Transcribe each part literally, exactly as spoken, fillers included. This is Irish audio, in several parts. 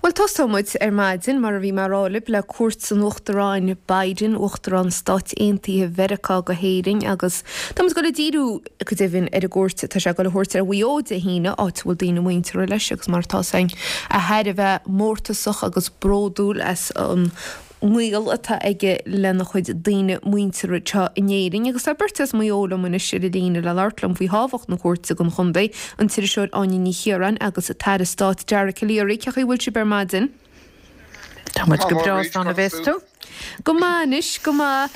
Bhuel, tosóidh muid ar maidin, mar a bhí mé a rá libh, le cuairt an Uachtaráin Biden, Uachtarán Stáit Aontaithe Mheiriceá go hÉirinn agus tá muid ag dul a díriú, go deimhin, ar an gcuairt atá sé ag dul a thabhairt ar Mhaigh Eo Dé hAoine, áit a bhfuil daoine muinteartha leis agus mar atá 's againn, é thar a bheith mórtasach agus bródúil as an ngaol atá aige lena chuid daoine muinteartha anseo in Éirinn. Agus tá beirt as Maigh Eo liom anois ar an líne le labhairt liom faoi thábhacht na cuairte don chontae, an t-iriseoir Áine Ní Chiaráin agus an tAire Stáit Dara Calleary. Cén chaoi a bhfuil sibh ar maidin? Tá muid go breá, slán a bheas tú. Go maith anois, go maith.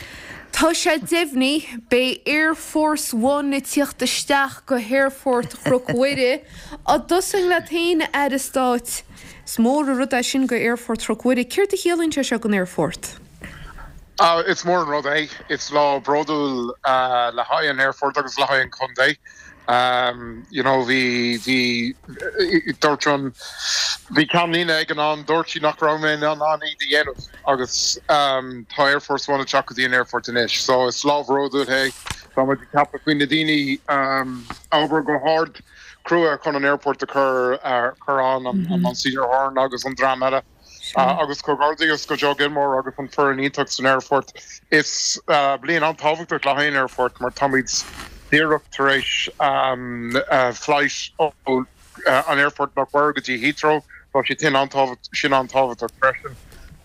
Tá sé deimhnithe, beidh Air Force One ag tíocht isteach go hAerfort Chnoc Mhuire. Á dtosóinn leat féin, a Aire Stáit, is mór an rud é sin go Aerfort Chnoc Mhuire. Céard a chiallaíonn sé seo don aerfort? Is mór an rud é. Is lá bródúil le haghaidh an aerfort agus le haghaidh an chontae. You know, bhí, bhí, dúirt an, bhí ceannlíne ag an am, dúirt sí nach raibh mé in ann iad a dhéanamh agus tá Air Force One ag teacht go dtí an aerfort anois. So is lá bródúil é. Tá muid ag ceapadh faoi na daoine a obair go hard crua chun an aerfort a chur, chur ann, an Monsignor Horan agus an dream eile. Agus comhghairdeas go Joe Gilmore agus an foireann iontach san aerfort. Is bliain an-tábhachtach le haghaidh an aerfort mar táimid díreach tar éis flight ó an aerfort Cnoc Mhuire go dtí Heathrow. Tá sé sin an-tábhachtach freisin.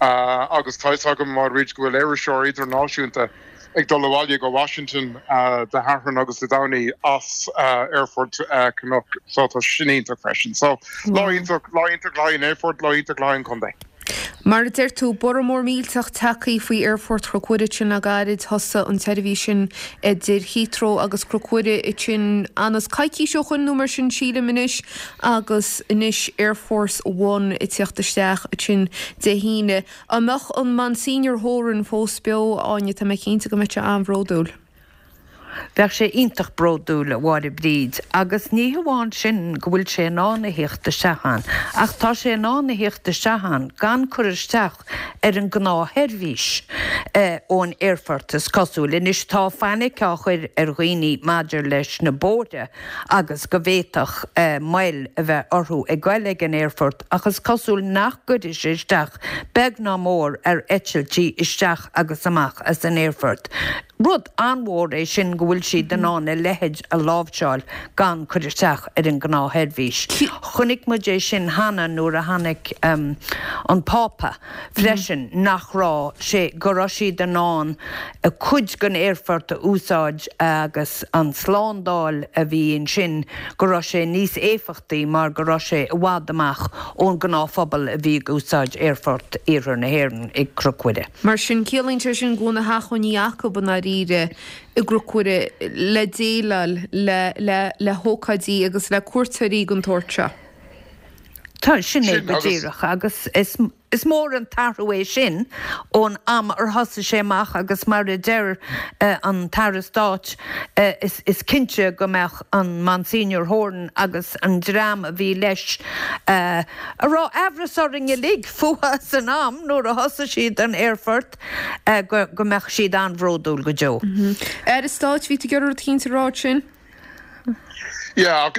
Agus tá fhios agam, Máiríd, go bhfuil iriseoir idirnáisiúnta ag dul abhaile go Washington Dé Sathairn agus Dé Domhnaigh as aerfort Cnoc so tá sin iontach freisin. So lá iontach, lá iontach le haghaidh an aerfort, lá iontach le haghaidh an chontae. Mar a deir tú, borradh mór millteach tagtha faoi aerfort Chnoc Mhuire ansin le gairid. Thosaigh an tseirbhís sin idir Heathrow agus Cnoc Mhuire ansin anas coicís ó shoin nó mar sin sílim anois agus anois Air Force One ag tíocht isteach ansin Dé hAoine. Dá mbeadh an Monsignor Horan fós beo, a Áine, tá mé cinnte go mbeadh sé an-bhródúil. Bheadh sé iontach bródúil, a Mháire Bríd, agus ní hamháin sin go bhfuil sé in ann a thíocht isteach ann, ach tá sé in ann a thíocht isteach ann gan cur isteach ar an ngnáthsheirbhís ón aerfort, is cosúil. Anois tá fainic á chur ar dhaoine maidir leis na bóithre agus go bhféadfadh moill a bheith orthu ag goil ag an aerfort ach is cosúil nach gcuirfidh sé isteach beag ná mór ar eitiltí isteach agus amach as an aerfort. Rud an-mhór é sin go bhfuil siad in ann a leithéid a láimhseáil gan cur isteach ar an ngnáthsheirbhís. Chonaic muid é sin cheana nuair a tháinig an Pápa freisin nach raibh sé, go raibh siad in ann cuid den aerfort a úsáid agus an tslándáil a bhí ansin, go raibh sé níos éifeachtaí mar go raibh sé i bhfad amach ón ngnáthphobal a bhí ag úsáid Aerfort Iarthar na hÉireann i gCnoc Mhuire. Mar sin, ciallaíonn sé sin go bhfuil na hacmhainní acu i ndáiríre i gCnoc Mhuire le déileáil le le le hócáidí agus le cuairteoirí den tsórt seo. Tá, sin é go díreach agus is Is mór an t-athrú é sin ón am ar thosaigh sé amach agus mar a deir an tAire Stáit is cinnte go mbeadh an Monsignor Horan agus an dream a bhí leis, a raibh aimhreas orainn uilig fúthu san am nuair a thosaigh siad an aerfort, go mbeadh siad an-bhródúil go deo. Aire Stáit, bhí tú ag iarraidh rud eicínt a rá ansin? Yeah,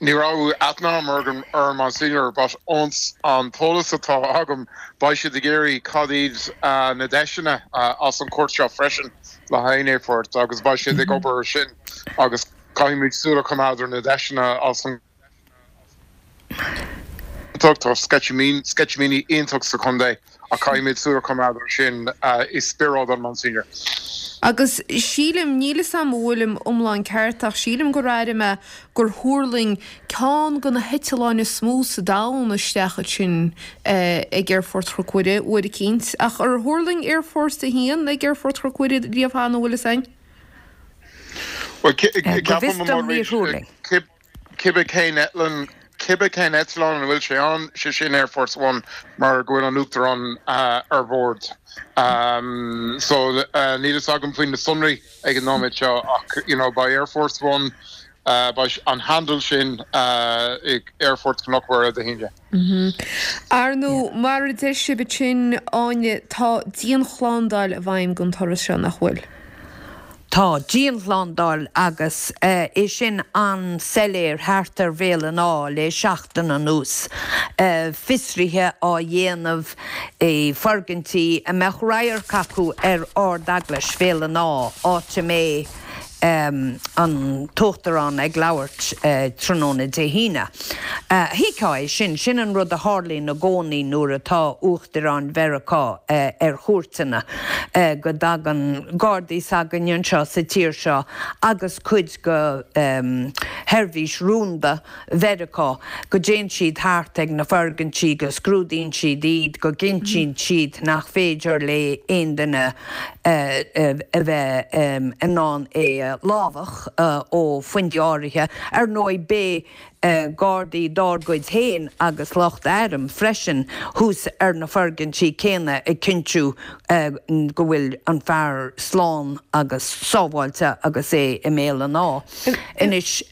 ní raibh aithne agam ar an Monsignor but ón an t-eolas atá agam beidh siad ag iarraidh cad iad na deiseanna as an chuairt seo freisin le haghaidh an aerfort agus beidh siad ag obair ar sin agus caithfimid súil a choimeád ar na deiseanna as an Tá sceitimíní iontach sa chontae ach caithfimid súil a choimeád air sin i spiorad an Monsignor. Agus sílim, níl 'fhios a'm an bhfuilim iomlán ceart ach sílim gur airigh mé gur thuirling ceann de na heitealláin is mó sa domhan isteach ansin ag Aerfort Chnoc Mhuire uair eicínt. Ach ar thuirling Air Force a haon ag Aerfort Chnoc Mhuire riamh cheana, an bhfuil 'fhios a'inn? Bhuel, Go bhfios ceapaim, dom níor thuirling. Cibé cén eitleán, cibé cén eitleán ina bhfuil sé ann, sé sin Air Force One mar go bhfuil an Uachtarán ar bord. So níl fhios agam faoi na sonraí ag an nóiméad seo ach you know beidh Air Force One, beidh an handle sin ag Aerfort Chnoc Mhuire Dé hAoine. Ar ndóigh, mar a deir sibh ansin, Áine, tá dianshlándáil i bhfeidhm don turas seo, nach bhfuil? Tá dianshlándáil agus é sin an-soiléir thart ar Bhéal an Átha le seachtain anuas. Fiosruithe á dhéanamh i bhfoirgintí a mbeadh radharc acu ar Ard-Eaglais Bhéal an Átha, áit a mbeidh an tUachtarán ag labhairt tráthnóna Dé hAoine. Thuigfeá é sin, sin an rud a tharlaíonn i gcónaí nuair atá Uachtarán Mheiriceá ar chuairteanna, go dtagann Gardaí s'againne anseo sa tír seo agus cuid de sheirbhís rúnda Mheiriceá, go dtéann siad thart ag na foirgintí, go scrúdaíonn siad iad, go gcinntíonn siad nach féidir le aon duine a bheith in ann é a lámhach ó phointí áirithe. Ar ndóigh, beidh gardaí dár gcuid féin agus lucht airm freisin thuas ar na foirgintí céanna ag cinntiú go bhfuil an fear slán agus sábháilte agus é i mBéal an Átha. Anois,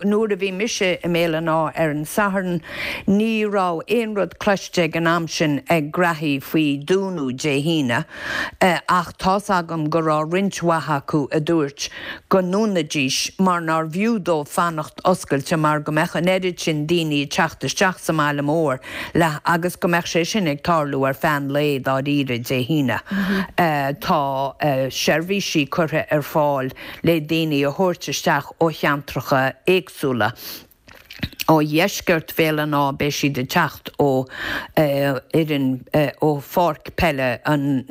nuair a bhí mise i mBéal an Átha ar an Satharn, ní raibh aon rud cloiste ag an am sin ag graithí faoi dúnadh Dé hAoine, ach tá's agam go raibh roinnt mhaith acu a dúirt go ndúnfaidís mar nár bhfiú dóibh fanacht oscailte mar go mbeadh an oiread sin daoine ag teacht isteach sa mbaile mór le agus go mbeadh sé sin ag tarlú ar feadh an lae dáiríre Dé hAoine. Tá seirbhísí curtha ar fáil le daoine a thabhairt isteach ó cheantracha éagsúla. Ó dheisceart Bhéal an Átha beidh siad ag teacht ó fhoireann ó pháirc peile an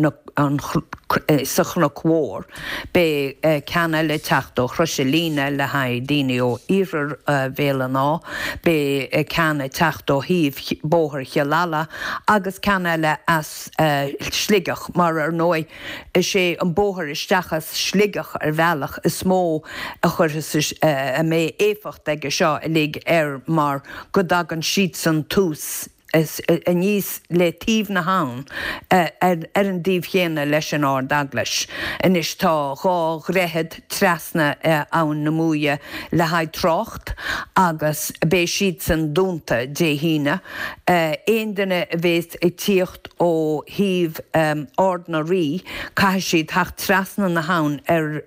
sa Chnoc Mhór. Beidh ceann eile ag teacht ó Chrois an Líne le haghaidh daoine ó iarthar Bhéal an Átha. Beidh ceann ag teacht ó thaobh Bóthar Chill Ala agus ceann eile as Sligeach mar ar ndóigh is é an bóthar isteach as Sligeach ar bhealach is mó a chuirfeas a mbeidh éifeacht aige seo uilig air mar go dtagann siadsan thuas aníos le taobh na habhann ar an dtaobh chéanna leis an Ard-Eaglais. Anois tá dhá dhroichead trasna Abhainn na Muaidhe le haghaidh trácht agus beidh siadsan dúnta Dé hAoine. Aon duine a bhéas ag tíocht ó thaobh Ard na Rí caithfidh siad theacht trasna na habhann ar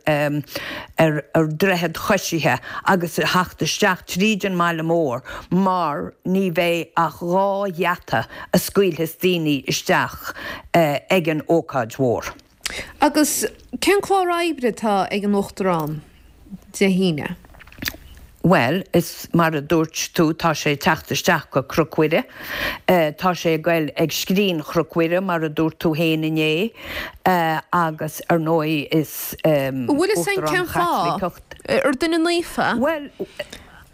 ar droichead choisithe agus a theacht isteach tríd an mbaile mór mar ní bheidh ach dhá gheata a scaoilfeas daoine isteach ag an ócáid mhór. Agus cén clár oibre atá ag an Uachtarán Dé hAoine? Bhuel, is mar a dúirt tú, tá sé ag teacht isteach go Cnoc Mhuire. Tá sé ag goil ag Scrín Chnoc Mhuire, mar a dúirt tú féin inné, agus ar ndóigh is An bhfuil fhios againn Uachtarán cén fáth? Chaitliceach. Ar duine naofa? Bhuel,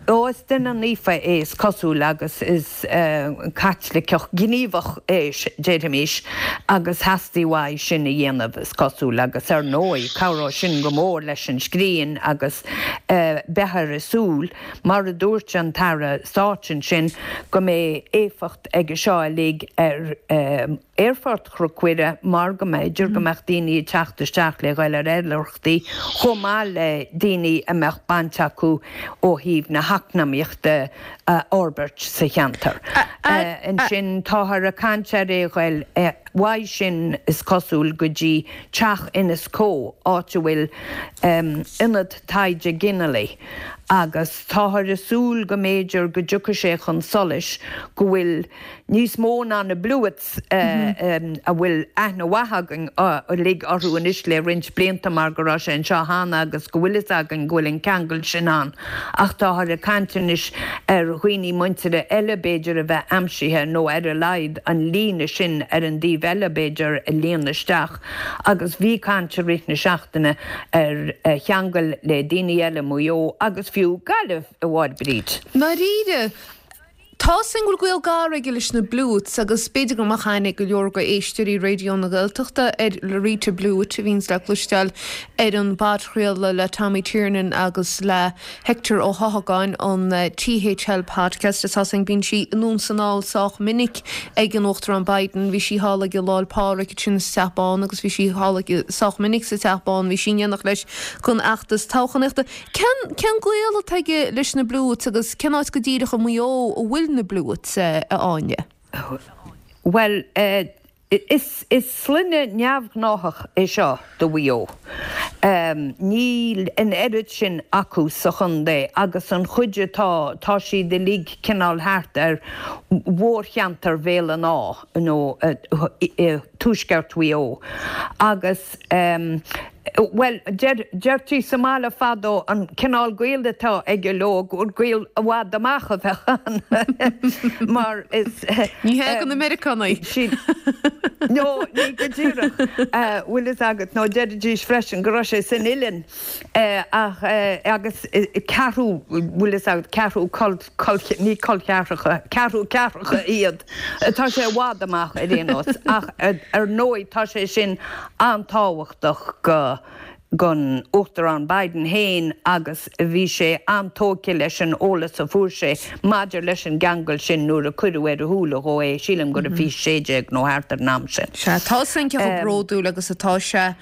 ó, is duine naofa é is cosúil agus is Caitliceach gníomhach é, déarfaimis, agus theastaigh uaidh sin a dhéanamh, is cosúil, agus ar ndóigh cabhróidh sin go mór leis an scrín agus beifear ag súil, mar a dúirt an tAire Stáit ansin, go mbeidh éifeacht aige seo uilig ar Aerfort Chnoc Mhuire mar go mb'fhéidir go mbeadh daoine ag teacht isteach le ghoil ar oilithreachtaí chomh maith le daoine a mbeadh baint acu ó thaobh na heacnamaíochta a fhorbairt sa cheantar. Ansin táthar ag caint ar é ghoil uaidh sin is cosúil go dtí Teach Inis Có, áit a bhfuil Ionad Taighde Ginealaigh agus táthar ag súil go mb'fhéidir go dtiocfaidh sé chun solais go bhfuil níos mó ná na Blewitts a bhfuil aithne mhaith againn uilig orthu anois le roinnt blianta mar go raibh sé anseo cheana agus go bhfuil fhios againn go bhfuil an ceangal sin ann ach táthar ag caint anois ar dhaoine muintire eile b'fhéidir a bheith aimsithe nó ar a laghad an líne sin ar an dtaobh eile b'fhéidir a líonadh isteach agus bhí caint i rith na seachtaine ar cheangal le daoine eile Maigh Eo agus fiú Gaillimh, a Mháire Bríd. Ndáiríre, tá fhios againn go bhfuil gaol gar aige leis na Blewitts agus b'fhéidir go mbeadh aithne ag go leor de éisteoirí Raidió na Gaeltachta ar Loretta Blewitt a bhíonns le cloisteáil ar an bpodchraoladh le Tommy Tiernan agus le Hector Ó hEochagáin, an THL Podcast. Is tá fhios againn bíonn sí anonn 's anall sách minic ag an Uachtarán Biden. Bhí sí thall aige Lá 'le Pádraig ansin sa Teach Bán agus bhí sí thall aige sách minic sa Teach Bán. Bhí sí in éineacht leis don fheachtas toghchánaíochta. Cén cén gaol atá aige leis na Blewitts agus cén áit go díreach i Maigh Eo a bhfuil na Blewitts, a Áine? Bhuel, Is is sloinne neamhghnách é seo do Mhaigh Eo. Um, níl an oiread sin acu sa chontae agus an chuid atá tá siad uilig cineál thart ar mhórcheantar Bhéal an Átha nó uh, uh, tuaisceart Mhaigh Eo. Agus um, Well, deirtí sa mbaile fadó an cineál gaol atá aige leo gur gaol i bhfad amach a bheadh ann mar is Ní hé go na Meiriceánaigh. No, ní go díreach bhfuil fhios agat nó deiridís freisin go raibh sé san oileán ach agus ceathrú bhfuil fhios agat ceathrú ní col ceathracha ceathrú ceathracha iad. Tá sé i bhfad amach ar aon nós ach ar ndóigh tá sé sin an-tábhachtach go gon Uachtarán Biden féin agus bhí sé an-tógtha leis an eolas a fuair sé maidir leis an gceangal sin nuair a cuireadh ar a shúile dhó é sílim gur a fiche sé déag nó thart ar an am sin. Sea, tá san cé chomh bródúil agus atá sé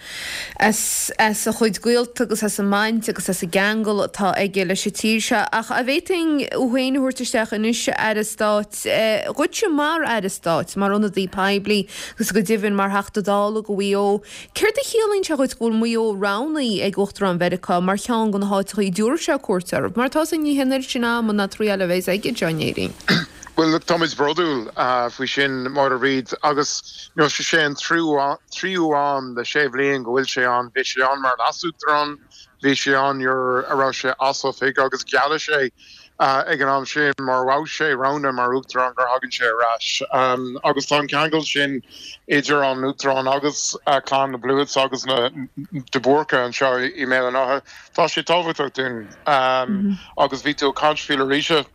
as as a chuid gaolta agus as an mbaint agus as an gceangal atá aige leis an tír seo ach an bhféadfainn thú féin a thabhairt isteach anois Aire Stáit dhuitse mar Aire Stáit mar ionadaí poiblí agus go deimhin mar Theachta Dála go Mhaigh Eo. Céard a chiallaíonn sé dhuit go bhfuil Maigh Eo roghnaithe ag Uachtarán Mheiriceá mar cheann de na háiteacha a dtabharfaidh sé cuairt orthu, mar tá ní hin sin am ná trí eile bheas aige John Éirinn. Well look, táimid bródúil uh, faoi sin Máire Bríd agus you know, sé sé an tríú am le sé bhliain go bhfuil sé ann bhí sé ann mar leasuachtarán, bhí sé ann nuair a raibh sé as oifig agus gheall sé uh, ag an am sin má bhí sé roghnaithe mar uachtarán gur thagann sé ar ais. Um, agus tá an ceangal sin idir an uachtarán agus uh, clann na Blewitts agus na de Búrca anseo i mBéal an Átha. Tá sé tábhachtach dúinn um, mm -hmm. agus bhí tú caint faoi arís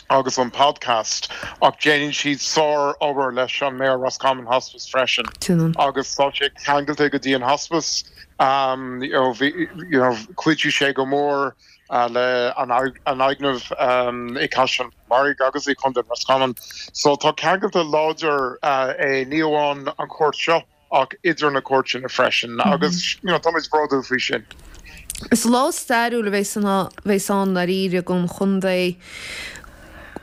agus an podcast ach déanann siad sár-obair leis an Mayo Roscommon Hospice freisin agus tá sé ceangailte go dtí an hospice um, you know, bhí, you know, chuidigh sé go mór uh, le an an fhoirgneamh um, i Caiseal Mhargaidh agus i Contae Roscommon. So tá ceangailte láidir uh, é ní amháin an chuairt seo ach idir na cuairteanna freisin mm -hmm. agus you know, táimid bródúil faoi sin. Is lá stairiúil a bheas ann dáiríre don chontae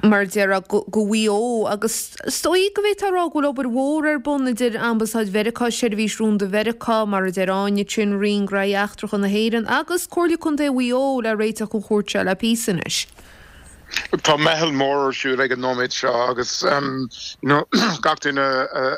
mar deir go Mhaigh Eo agus is dóigh go bhféadfá a rá go bhfuil obair mhór ar bun idir Ambasáid Mheiriceá Seirbhís Rúnda Mheiriceá mar a deir Áine sin Roinn Gnóthaí Eachtracha na hÉireann agus Comhairle Contae Mhaigh Eo le réiteach an chuairt seo le píosa anois. Tá meitheal mór ar siúl ag an nóiméad seo agus um, you know, gach duine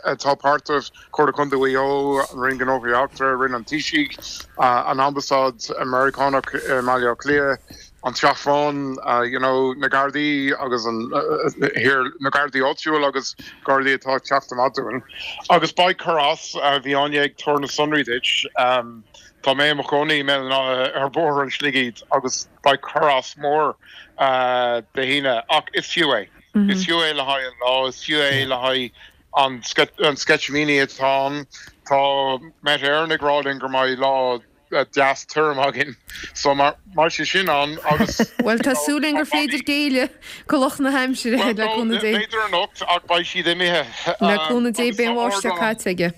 atá páirteach Comhairle Contae Mhaigh Eo an Roinn Gnóthaí Eachtracha Roinn an Taoisigh uh, an Ambasáid Meiriceánach i Mbaile Átha Cliath an Teach Bán uh, you know, na Gardaí agus an uh, here na Gardaí áitiúil agus Gardaí atá teacht amach Agus beidh cur as uh, bhí Áine ag tabhairt na sonraí duit um, Tá mé mo chónaí mé ar bhóthar an Shligigh agus beidh cur as mór uh, Dé hAoine ach is fiú é. Mm -hmm. Is fiú é le haghaidh an lá, is fiú é le haghaidh an an sceitimíní atá tá Met Éireann ag rá gur mbeidh lá deas tirim againn so mar mar sé sin an agus Well tá súil gur féidir géilleadh do lucht na haimsire le cúnamh Dé. B'fhéidir anocht ach beidh siad imithe Le cúnamh Dé beidh an bháisteach caite aige.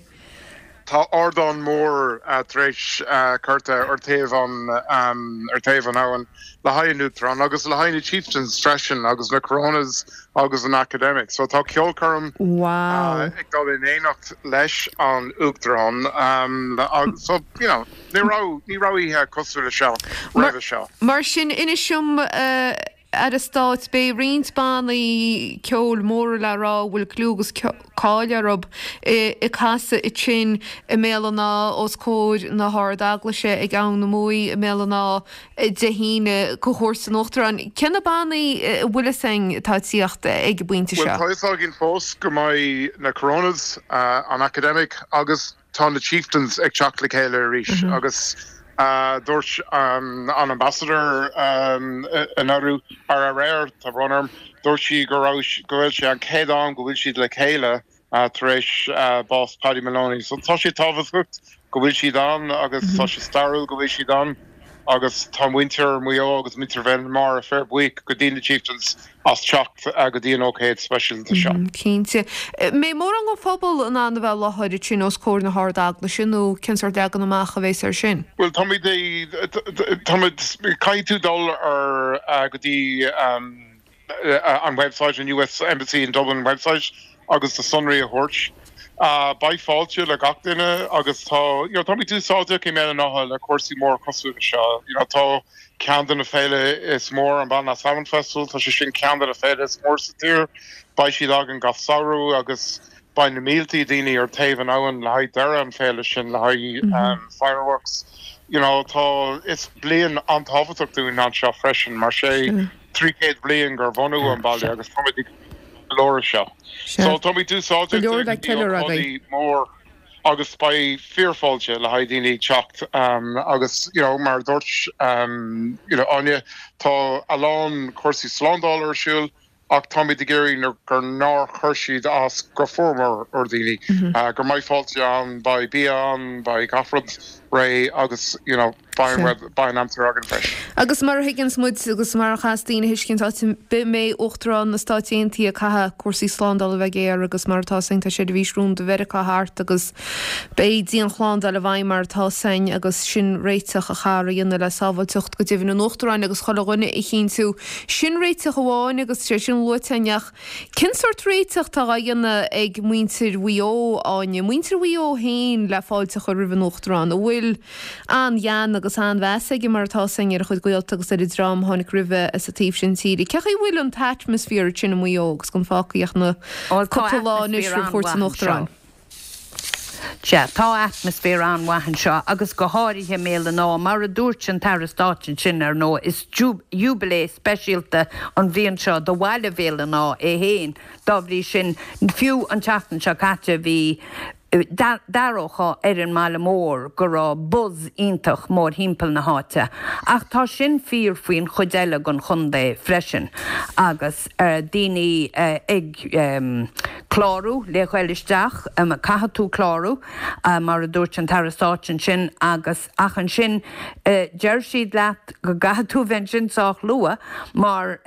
Tá ardán mór uh, tar éis uh, curtha ar taobh an um, ar taobh an abhainn le haghaidh an Uachtarán agus le haghaidh na Chieftains freisin agus na Coronas agus an Academic. So tá ceolchoirm wow. uh, ag dul in éineacht leis an Uachtarán um, agus, so you know, ní raibh ní raibh oíche cosúil le seo roimhe seo. Mar sin inis dom uh, Aire Stáit beidh roinnt bannaí ceoil móra le rá bhfuil clú agus cáil orthu ag casadh ansin i mBéal an Átha os comhair na hArd-Eaglaise ag Abhainn na Muaidhe i mBéal an Átha Dé hAoine do chuairt an Uachtaráin. Cé na bannaí bhfuil fhios againn atá ag tíocht ag an bpointe Well seo? tá fhios againn fós go mbeidh na Coronas uh, an Academic agus tá na Chieftains ag teacht le chéile arís mm -hmm. agus uh, dúirt um, an ambassador um, anuraidh ar aréir tá brón orm dúirt sí go raibh go bhfuil sé an chéad am go bhfuil siad le chéile uh, tar éis uh, bás Paddy Moloney. So tá sé tábhachtach go bhfuil siad ann agus mm -hmm. tá sé stairiúil go bhfuil siad ann agus tá muintir Mhaigh Eo agus muintir Bhéal Feirste buíoch go dtí na Chieftains as teacht uh, go dtí an ócáid speisialta seo. Mm, Cinnte. Mbeidh mórán den phobal in ann a bheith i láthair ansin os comhair na hArd-Eaglaise nó cén sórt leagan amach a bheas air sin. Well tá caithfidh tú dul ar uh, go dtí um, uh, an website an US Embassy in Dublin website agus na sonraí a thabhairt. Uh, beidh fáilte le gach duine agus tá you know, táimid úsáideach i mBéal an Átha le cúrsaí mór cosúil seo. You know, tá ceann de na féile is mór an Ballina Salmon Festival, tá sé sin ceann de na féile is mór sa tír, beidh siad againn gach samhradh agus beidh na mílte daoine ar taobh an abhainn le haghaidh deireadh an féile sin le haghaidh mm -hmm. um, fireworks. You know, tá is bliain an-tábhachtach dúinn anseo freisin mar sé trí chéad bliain gur bunaíodh an baile agus táimid ceiliúradh seo. So táimid úsáideach mór agus beidh fíorfháilte le haghaidh daoine teacht um, agus you know, mar dúirt um, you know, Áine tá a lán cúrsaí slándála ar siúl ach táimid ag iarraidh gur nár chuir siad as go formhór ar daoine mm -hmm. uh, gur mbeidh fáilte ann beidh bia ann beidh gach rud réidh agus you know, beidh an-aimsir againn freisin. Agus mar a thuigeanns muid agus mar a chaithfeas daoine a thuiscint áit bith a mbeidh Uachtarán na Stáit Aontaithe caithfidh cúrsaí slándála bheith géar agus mar atá sin tá seirbhís rúnda Mheiriceá thart agus beidh dianshlándáil i bhfeidhm mar atá sin agus sin réiteach a chaithfear a dhéanamh le sábháilteacht go deimhin an Uachtaráin agus chuile dhuine a chinntiú. Sin réiteach amháin agus sé sin luaite ach cén sórt réiteach atá á dhéanamh ag muintir Mhaigh Eo Áine, muintir Mhaigh Eo féin le fáilte a chur roimh an Uachtarán, a bhfuil an-ghean agus an-mheas aige mar atá sin ar a chuid gaolta agus ar an dream a tháinig roimhe as an taobh sin tíre. Cén chaoi a bhfuil an t-atmaisféar sin i Maigh Eo agus gan fágtha ach na cúpla lá anois roimh chuairt an Uachtaráin? Sea, tá atmaisféar an-mhaith anseo agus go háirithe i mBéal an Átha, mar a dúirt an tAire Stáit ansin, ar ndóigh, is jubilee speisialta an bhliain seo do bhaile Bhéal an Átha é féin. Dá bhrí sin, fiú an tseachtain seo caite bhí d'aireofá ar an mbaile mór go raibh buzz iontach mórthimpeall na háite. Ach tá sin fíor faoin chuid eile den chontae freisin agus daoine ag clárú le ghoil isteach, caithfidh tú clárú, mar a dúirt an tAire Stáit ansin agus ach ansin deir siad leat go gcaithfidh tú bheith ansin sách luath mar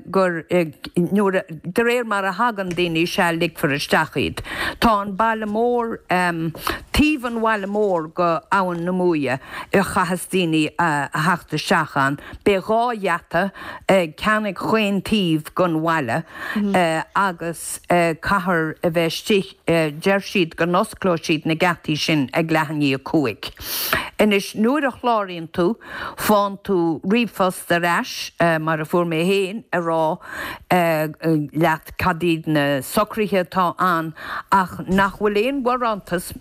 gur nuair de réir mar a thagann daoine sea ligfear isteach iad. Tá an baile mór taobh an bhaile mór go Abhainn na Muaidhe a chaitheas daoine a theacht isteach ann. Beidh dhá gheata, ceann ag chaon taobh gon bhaile agus caithfear a bheith istigh, deir siad go n-osclóidh siad na geataí sin ag leath i ndiaidh a cúig. Anois nuair a chláraíonn tú, faigheann tú ríomhphost ar ais, mar a fuair mé féin, ag rá leat cad iad na socruithe atá ann ach nach bhfuil aon bharántas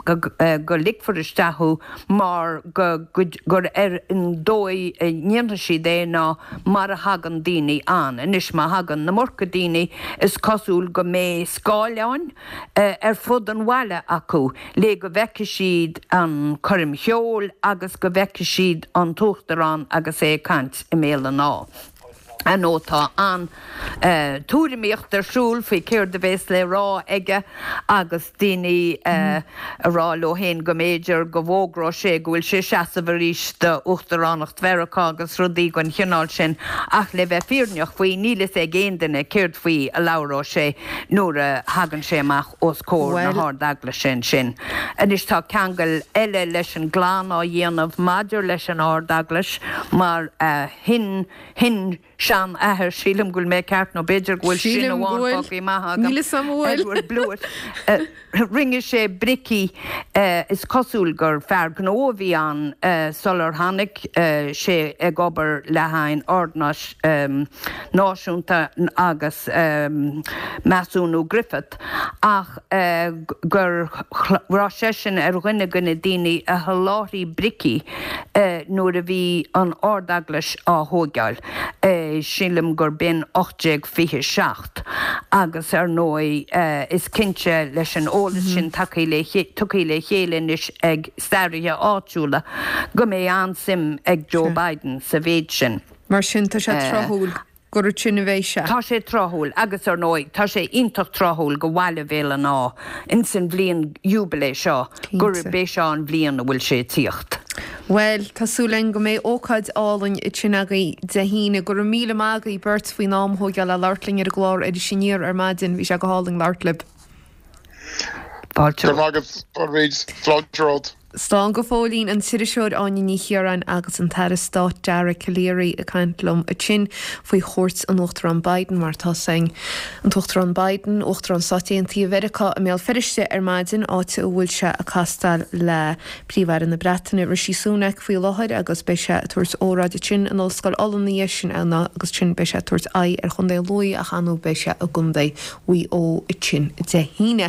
go ligfear isteach thú mar go gur ar an dóigh a ndéanfaidh siad é ná mar a thagann daoine ann. Anois má thagann an iomarca daoine is cosúil go mbeidh scáileáin ar fud an bhaile acu le go bhfeicfidh siad an choirm cheoil agus go bhfeicfidh siad an tUachtarán agus é ag caint i mBéal an Átha. Ar ndóigh tá an tuairimíocht ar siúl faoi céard a bhéas le rá aige agus daoine ag rá leo féin go mb'fhéidir go bhfógróidh sé go bhfuil sé ag seasamh arís d'uachtaránacht Mheiriceá agus rudaí den chineál sin ach le bheith fírinneach faoi níl fhios ag aon duine céard faoi a labhróidh sé nuair a thagann sé amach os comhair na hArd-Eaglaise ansin. Anois tá ceangal eile leis an gclann á dhéanamh maidir leis an Ard-Eaglais mar a shin shin sean-athair, sílim go bhfuil mé ceart nó b'fhéidir go bhfuil sin Sílim go amháin bhfuil. fágtha amach agam, Níl fhios a'm an bhfuil. Edward Blewitt. Rinne sé bricí, is cosúil gur fear gnó a bhí ann sular tháinig sé ag obair le haghaidh an Ordnáis Náisiúnta agus Measúnú Griffith ach go raibh seisean ar dhuine de na daoine a sholáthraigh bricí nuair a bhí an Ard-Eaglais á thóigeáil, sílim gur b'in ocht déag fiche seacht, agus ar ndóigh is cinnte leis an eolas sin tugtha le chéile anois ag staraithe áitiúla go mbeidh an-suim ag Joe Biden sa mhéid sin. Mar sin tá sé tráthúil gur ansin a bheidh sé. Tá sé tráthúil agus ar ndóigh tá sé iontach tráthúil go bhaile Bhéal an Átha ins an bhliain jubilee seo gurb é seo an bhliain a bhfuil sé ag tíocht. Bhuel, tá súil againn go mbeidh ócáid álainn ansin agaibh Dé hAoine. Go raibh míle maith agaibh beirt faoin am a thógáil le labhairt linn ar an gclár Iris Aniar ar maidin. Bhí sé go hálainn labhairt libh. Fáilte Go raibh maith agat, a Bhríd. Sláinte romhat. Slán go fóillín an t-iriseoir Áine Ní Chiaráin agus an tAire Stáit Dara Calleary ag caint liom ansin faoi chuairt an Uachtaráin Biden mar tá an tUachtarán Biden, Uachtarán Stáit Aontaithe Mheiriceá i mBéal Feirste ar maidin áit a bhfuil sé ag castáil le Príomh-Aire na Breataine Rishi Sunak faoi láthair agus beidh sé ag tabhairt óráid ansin in Ollscoil Uladh sin ann agus ansin beidh sé ag tabhairt aghaidh ar Chontae Lú ach ansin beidh sé i gContae Mhaigh Eo ansin Dé hAoine.